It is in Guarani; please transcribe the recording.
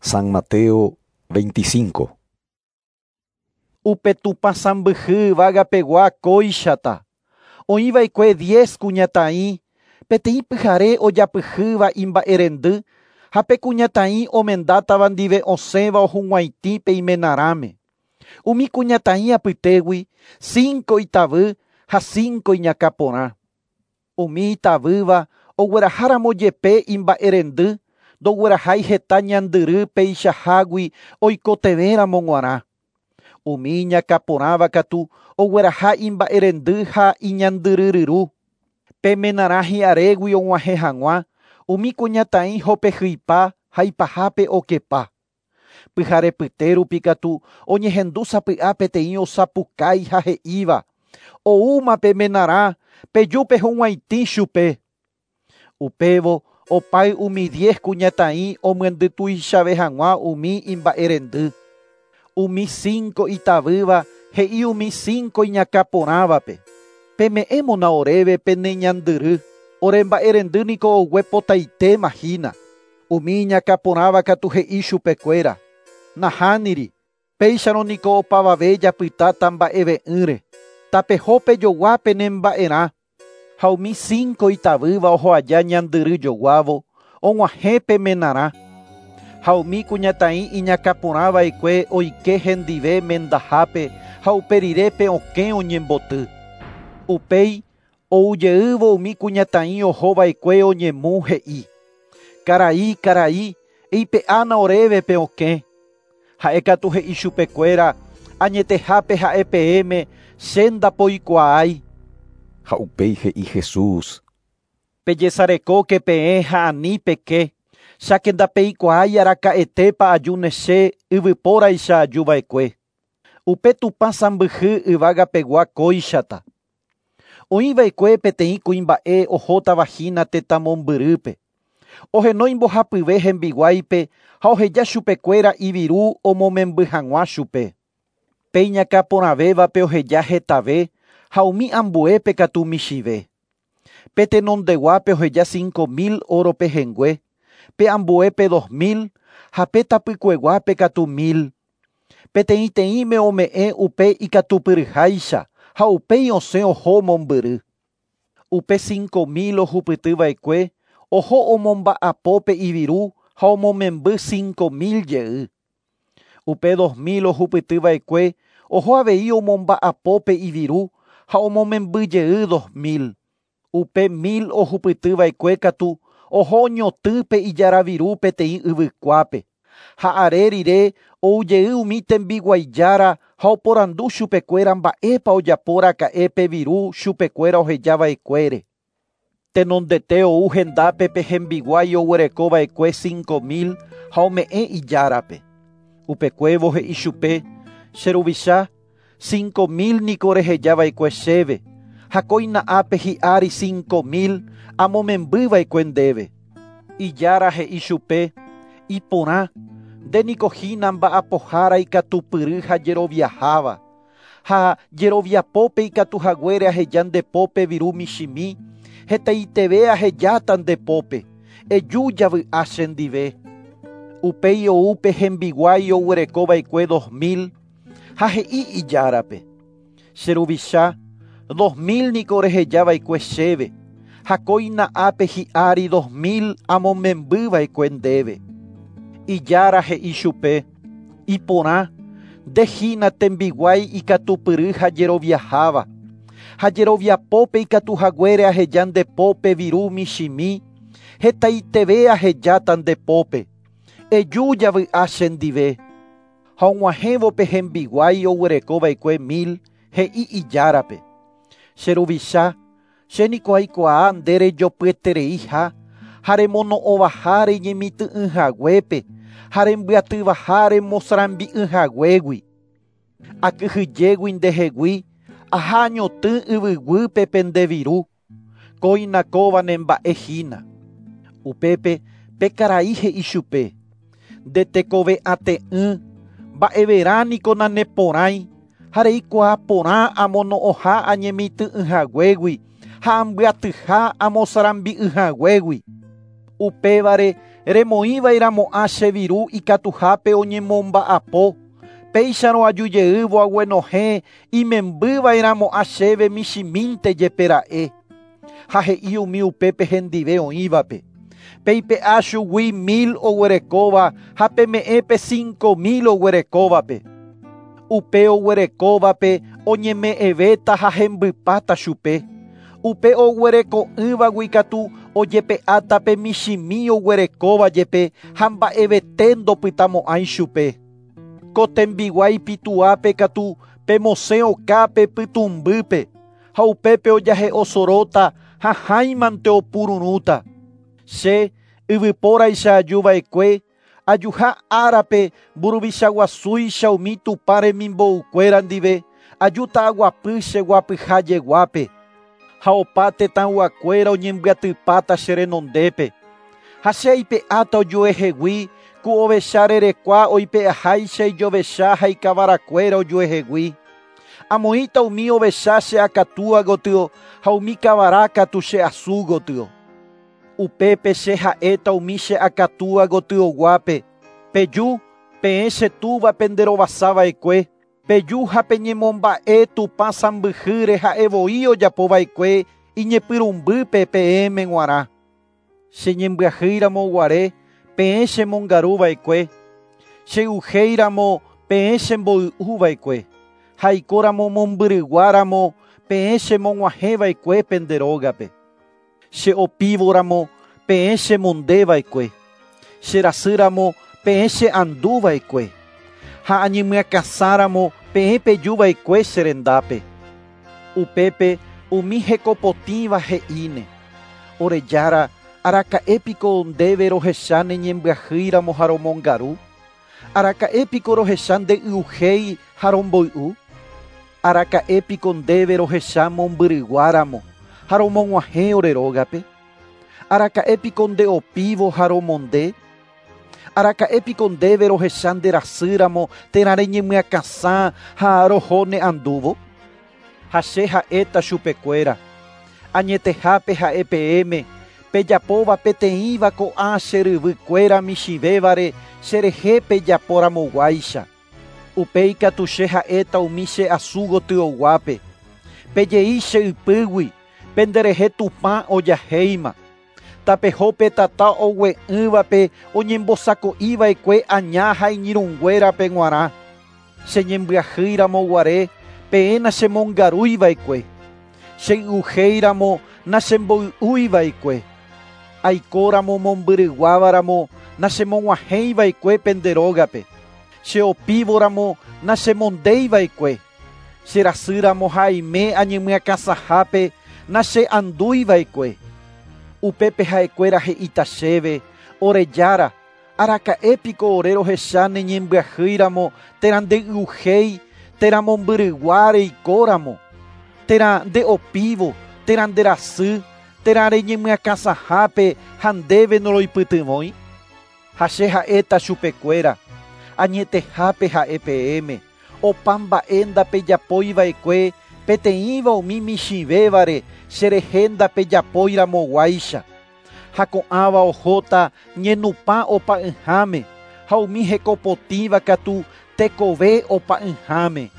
San Mateo 25. Upe Tupã sãmbyhy yvágapegua kóichata. Oĩva'ekue 10 kuñataĩ, peteĩ pyhare ojapyhýva imba'erendy ha pe kuñataĩ omendátava ndive osẽva ohug̃uaitĩ pe imenarãme. Umi kuñataĩ apytégui 5 itavy ha 5 iñakãporã. Umi itavýva ogueraháramo jepe imba'erendy ndoguerahái heta ñandyry peichahágui oikotevẽramo g̃uarã. Umi iñakãporãva katu ogueraha imba'erendy ha iñandyryryru. Pe menarã hi'arégui og̃uahẽ hag̃ua umi kuñataĩ hopehýipa ha ipahápe okepa. Pyharepyte katu oñehendu sapy'a peteĩ osapukái ha he'íva oúma pe menarã peju pehug̃uaitĩ chupe. Upévo opáy umi 10 kuñataĩ omyendytuichave hag̃ua umi imba'erendy. Umi 5 itavýva he'i umi 5 iñakãporãvape. Peme'ẽmona oréve pene ñandyry, ore mba'erendy niko oguepotaitéma hína. Umi iñakãporãva katu he'i chupekuéra. Nahániri, péicharõ niko opavave japytáta mba'eve'ỹre. Tapeho pejogua pene mba'erã. Ha umi 5 itavýva oho aja ñandyry joguávo, og̃uahẽ pe menarã. Ha umi kuñataĩ iñakãporãva'ekue oike hendive mendahápe ha upe rire pe okẽ oñemboty. Upéi oujeývo umi kuñataĩ ohova'ekue oñemu he'i. Karai, karai, eipe'ána oréve pe okẽ. Ha'e katu he'i chupekuéra añetehápe ha'e peẽme che ndapoikuaái. Ha upéi he'i Jesús. Pejesarekóke peẽ ha ani peke, cháke ndapeikuaái araka'etépa ajúne che yvypóraicha ajuva'ekue. Upe Tupã sãmbyhy yvágapegua kóichata. Oĩva'ekue peteĩ kuimba'e ohótava hína tetãmombyrýpe. Ohenói mbohapyve hembiguáipe ha oheja chupekuéra iviru omomemby hag̃ua chupe. Pe iñakãporãvévape oheja hetave ha umi ambuépe katu michĩve. Pe tenondeguápe oheja 5.000 oro pehẽngue, pe ambuépe 2.000 ha pe tapykueguápe katu 1.000. Peteĩteĩme ome'ẽ upe ikatupyryháicha ha upéi osẽ oho mombyry. Upe 5.000 ohupytyva'ekue oho omomba'apo pe iviru ha omomemby 5.000 jey. Upe 2.000 ohupytyva'ekue oho avei omomba'apo pe iviru ha omomemby jey 2.000. Upe 1.000 ohupytyva'ekue katu oho oñotỹ pe ijaraviru peteĩ yvykuápe. Ha are rire oujey umi tembiguaijára ha oporandu chupekuéra mba'épa ojaporaka'e pe viru chupekuéra ohejava'ekuére. Tenondete ou hendápe pe hembiguái oguerekova'ekue 5.000 ha ome'ẽ ijárape. Upekuévo he'i chupe, che ruvicha, 5.000 niko rehejava'ekue chéve, ha kóina ápe hi'ári 5.000 amomembyva'ekue ndéve. Ijára he'i chupe, iporã, nde niko hína mba'apohára ikatupyry ha jeroviaháva. Ha jeroviapópe ikatuhaguére aheja ndepópe viru michĩmi, hetaiteve ahejáta ndepópe, eju javy'a chendive. Upéi ou pe hembiguái oguerekova'ekue 2.000 ha he'i ijárape. Che ruvicha, 2.000 niko rehejava'ekue chéve, ha kóina ápe hi'ári 2.000 amomembyva'ekue ndéve. Ijára he'i chupe, iporã, nde hína tembiguái ikatupyry ha jeroviaháva. Ha jeroviapópe ikatuhaguére aheja ndepópe viru michĩmi, hetaiteve ahejáta ndepópe. Eju javy'a chendive. Ha og̃uahẽvo pe hembiguái oguerekova'ekue 1.000 he'i ijárape. Che ruvicha, che niko aikuaa nde rejopyetereiha ha remono'õvaha reñemitỹ'ỹhaguépe ha rembyatyvaha remosãrambi'ỹhaguégui. Akyhyjégui ndehegui aha añotỹ yvyguýpe pende viru, kóina kóva ne mba'e hína. Upépe pe karai he'i chupe, nde tekove'ate'ỹ, mba'everã niko naneporãi ha reikuaa porã amono'õha añemitỹ'ỹhaguégui ha ambyatyha amosãrambi'ỹhaguégui. Upévare Remoĩva'erãmo'ã che viru ikatuhápe oñemomba'apo. Péicharõ ajujeývo aguenohẽ imembyva'erãmo'ã chéve michĩmínte jepe ra'e. Ha he'i umi upépe hendive oĩvape. Peipe'a chugui 1000 oguerekóva ha peme'ẽ pe 5000 oguerekóvape. Upe oguerekóvape oñeme'ẽvéta ha hembypáta chupe. Upe oguereko'ỹvagui katu ojepe'áta pe michĩmi oguerekóva jepe ha mba'evete ndopytamo'ãi chupe. Ko tembiguái pituápe katu pemosẽ okápe pytũmbýpe ha upépe ojahe'osoróta ha hãimante opururũta. Che yvypóraicha ajuva'ekue ajuha árape mburuvichaguasúicha umi Tupã remimboukuéra ndive ajúta aguapy che guapyha jeguápe. Ha opa tetãyguakuéra oñembyatypáta che renondépe. Ha che aipe'áta ojuehegui ku ovecha rerekua oipe'aháicha ijovecha ha ikavarakuéra ojuehegui. Amoĩta umi ovecha che akatúa gotyo ha umi kavara katu che asu gotyo. Upépe che ha'éta umi che akatúa gotyoguápe. Peju, peẽ che túva penderovasava'ekue. Peju ha peñemomba'e Tupã sãmbyhýre ha'evoi ojapova'ekue iñepyrũmbýpe peẽme g̃uarã. Cheñembyahýiramo guare peẽ chemongaruva'ekue. Chey'uhéiramo peẽ chemboy'uva'ekue. Ha aikóramo mombyryguáramo peẽ chemog̃uahẽva'ekue pende rógape. Cheopívoramo peẽ chemondeva'ekue. Cherasýramo peẽ che'anduva'ekue. Ha añemyakãsáramo peẽ pejuva'ekue che rendápe. Upépe umi hekopotĩva he'íne. Ore Jára, araka'épiko ndéve rohecha neñembyahýiramo ha romongaru? Araka'épiko rohecha ndey'uhéi ha romboy'u? Araka'épiko ndéve rohecha mombyryguáramo ha romog̃uahẽ ore rógape? Araka'épiko ndeopívo ha romonde? Araka'épiko ndéve rohecha nderasýramo térã reñemyakãsã ha roho ne'andúvo? Ha che ha'éta chupekuéra. Añetehápe ha'e peẽme pejapóva peteĩva ko'ã che ryvykuéra michĩvévare cherehe pejaporamoguáicha. Upéi katu che ha'éta umi che asu gotyoguápe. Pejei che ypýgui penderehe Tupã ojahéima. Tapeho pe tata ogue'ỹvape oñembosako'iva'ekue aña ha iñirũnguérape g̃uarã. Cheñembyahýiramo guare peẽ nachemongarúiva'ekue. Chey'uhéiramo nachemboy'úiva'ekue. Aikóramo mombyryguávaramo nachemog̃uahẽiva'ekue pende rógape. Cheopívoramo nachemondéiva'ekue. Cherasýramo ha aime añemyakãsãhápe nache'andúiva'ekue. Upépe ha'ekuéra he'íta chéve, ore Jára, araka'épiko ore rohecha neñembyahýiramo térã ndey'uhéi térã mombyrygua reikóramo, térã ndeopívo, térã nderasy, térã reñemyakãsãhápe ha ndéve noroipytyvõi? Ha che ha'éta chupekuéra, añetehápe ha'e peẽme, opa mba'e ndapejapóiva'ekue peteĩva umi michĩvévare cherehe ndapejapóiramoguáicha. Ha ko'ãva ohóta ñenupã opa'ỹháme ha umi hekopotĩva katu tekove opa'ỹháme.